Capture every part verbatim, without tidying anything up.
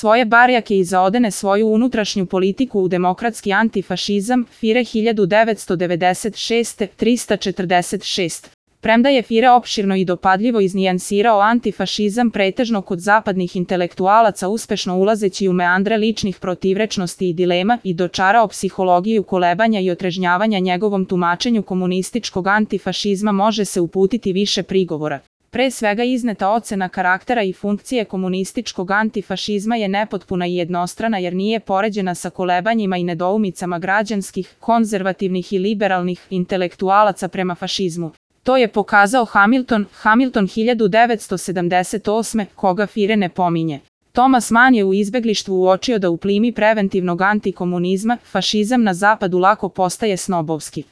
svoje barjake i zaodene svoju unutrašnju politiku u demokratski antifašizam, Fire hiljadu devetsto devedeset šeste trista četrdeset šest. Premda je Fire opširno i dopadljivo iznijansirao antifašizam pretežno kod zapadnih intelektualaca uspešno ulazeći u meandre ličnih protivrečnosti i dilema i dočarao psihologiju kolebanja i otrežnjavanja njegovom tumačenju komunističkog antifašizma može se uputiti više prigovora. Pre svega izneta ocena karaktera i funkcije komunističkog antifašizma je nepotpuna i jednostrana jer nije poređena sa kolebanjima i nedoumicama građanskih, konzervativnih i liberalnih intelektualaca prema fašizmu. To je pokazao Hamilton, Hamilton hiljadu devetsto sedamdeset osme, koga Fire ne pominje. Thomas Mann je u Izbeglištvu uočio da u plimi preventivnog antikomunizma, fašizam na zapadu lako postaje snobovski.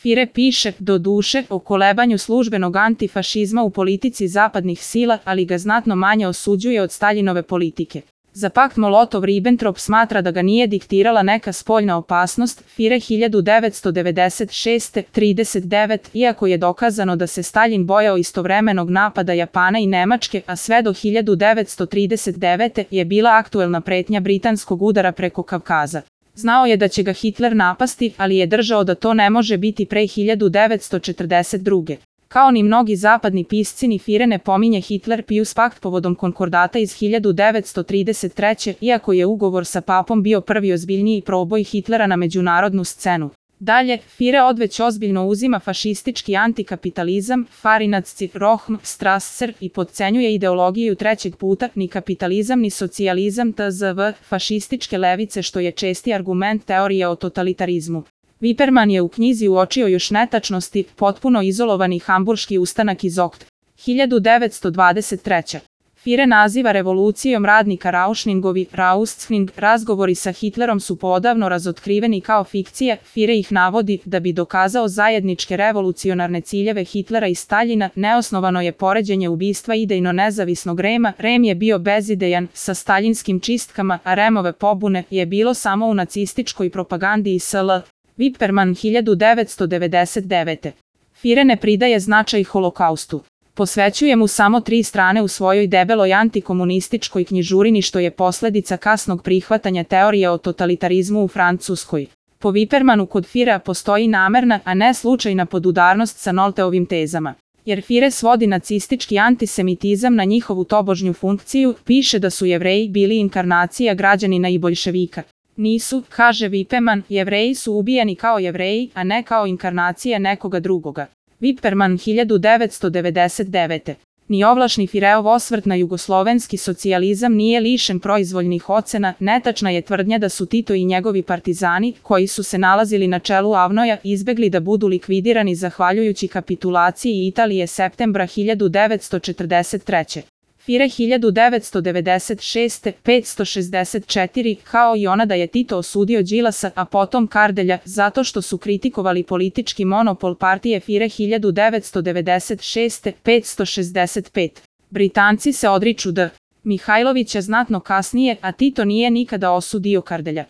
Fire piše, do duše, o kolebanju službenog antifašizma u politici zapadnih sila, ali ga znatno manje osuđuje od Staljinove politike. Za pakt Molotov-Ribbentrop smatra da ga nije diktirala neka spoljna opasnost, Fire hiljadu devetsto devedeset šeste trideset devet, iako je dokazano da se Staljin bojao istovremenog napada Japana i Nemačke, a sve do hiljadu devetsto trideset devete je bila aktuelna pretnja britanskog udara preko Kavkaza. Znao je da će ga Hitler napasti, ali je držao da to ne može biti pre hiljadu devetsto četrdeset druge. Kao ni mnogi zapadni pisci ni Fire ne pominje Hitler-Pius pakt povodom konkordata iz hiljadu devetsto trideset treće, iako je ugovor sa papom bio prvi ozbiljniji proboj Hitlera na međunarodnu scenu. Dalje, Fire odveć ozbiljno uzima fašistički antikapitalizam, Farinacci, Rohm, Strasser i podcenjuje ideologiju trećeg puta, ni kapitalizam ni socijalizam tzv. Fašističke levice što je česti argument teorije o totalitarizmu. Viperman je u knjizi uočio još netačnosti, potpuno izolovani hamburški ustanak iz Okt. hiljadu devetsto dvadeset treće. Fire naziva revolucijom radnika Rauschningovi, Raustzwing, razgovori sa Hitlerom su poodavno razotkriveni kao fikcije, Fire ih navodi da bi dokazao zajedničke revolucionarne ciljeve Hitlera i Staljina, neosnovano je poređenje ubistva idejno nezavisnog Rema, Rem je bio bezidejan, sa staljinskim čistkama, a Remove pobune je bilo samo u nacističkoj propagandi i sl. Viperman hiljadu devetsto devedeset devete. Fire ne pridaje značaj holokaustu. Posvećuje mu samo tri strane u svojoj debeloj antikomunističkoj knjižurini što je posledica kasnog prihvatanja teorije o totalitarizmu u Francuskoj. Po Vipermanu kod Firea postoji namerna, a ne slučajna podudarnost sa Nolteovim tezama. Jer Fire svodi nacistički antisemitizam na njihovu tobožnju funkciju, piše da su Jevreji bili inkarnacija građanina i boljševika. Nisu, kaže Viperman, Jevreji su ubijani kao Jevreji, a ne kao inkarnacija nekoga drugoga. Viperman hiljadu devetsto devedeset devete. Ni ovlašni Fireov osvrt na jugoslovenski socijalizam nije lišen proizvoljnih ocena, netačna je tvrdnja da su Tito i njegovi partizani, koji su se nalazili na čelu Avnoja, izbegli da budu likvidirani zahvaljujući kapitulaciji Italije septembra hiljadu devetsto četrdeset treće. Fire hiljadu devetsto devedeset šeste petsto šezdeset četiri, kao i ona da je Tito osudio Đilasa, a potom Kardelja, zato što su kritikovali politički monopol partije Fire hiljadu devetsto devedeset šeste petsto šezdeset pet. Britanci se odriču D. Mihajlovića znatno kasnije, a Tito nije nikada osudio Kardelja.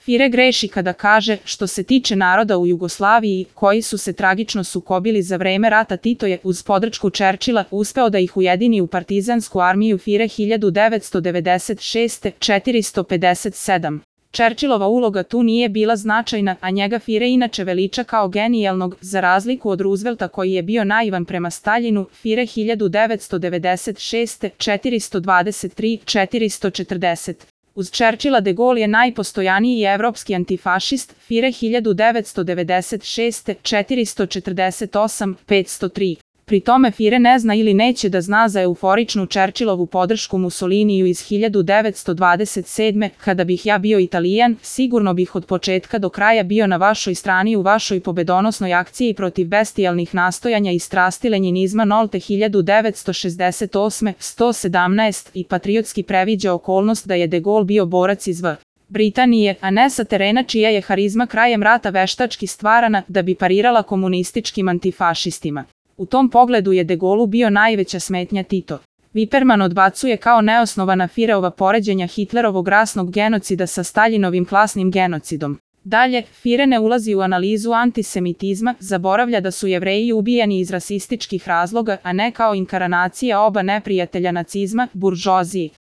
Fire greši kada kaže, što se tiče naroda u Jugoslaviji, koji su se tragično sukobili za vreme rata, Tito je, uz podršku Čerčila, uspeo da ih ujedini u partizansku armiju Fire hiljadu devetsto devedeset šeste četiristo pedeset sedam. Čerčilova uloga tu nije bila značajna, a njega Fire inače veliča kao genijalnog, za razliku od Roosevelta koji je bio naivan prema Staljinu, Fire hiljadu devetsto devedeset šeste četiristo dvadeset tri četiristo četrdeset. Uz Churchilla de Gaulle je najpostojaniji evropski antifašist, Fire hiljadu devetsto devedeset šeste četiristo četrdeset osam petsto tri. Pri tome Fire ne zna ili neće da zna za euforičnu Churchillovu podršku Mussoliniju iz hiljadu devetsto dvadeset sedme. Kada bih ja bio Italijan, sigurno bih od početka do kraja bio na vašoj strani u vašoj pobedonosnoj akciji protiv bestijalnih nastojanja i strasti lenjinizma Nolte hiljadu devetsto šezdeset osme. sto sedamnaest i patriotski previđa okolnost da je de Gaulle bio borac iz V. Britanije, a ne sa terena čija je harizma krajem rata veštački stvarana da bi parirala komunističkim antifašistima. U tom pogledu je de Gaullu bio najveća smetnja Tito. Viperman odbacuje kao neosnovana Fireova poređenja Hitlerovog rasnog genocida sa Staljinovim klasnim genocidom. Dalje, Fire ne ulazi u analizu antisemitizma, zaboravlja da su Jevreji ubijani iz rasističkih razloga, a ne kao inkarnacija oba neprijatelja nacizma, buržoazije.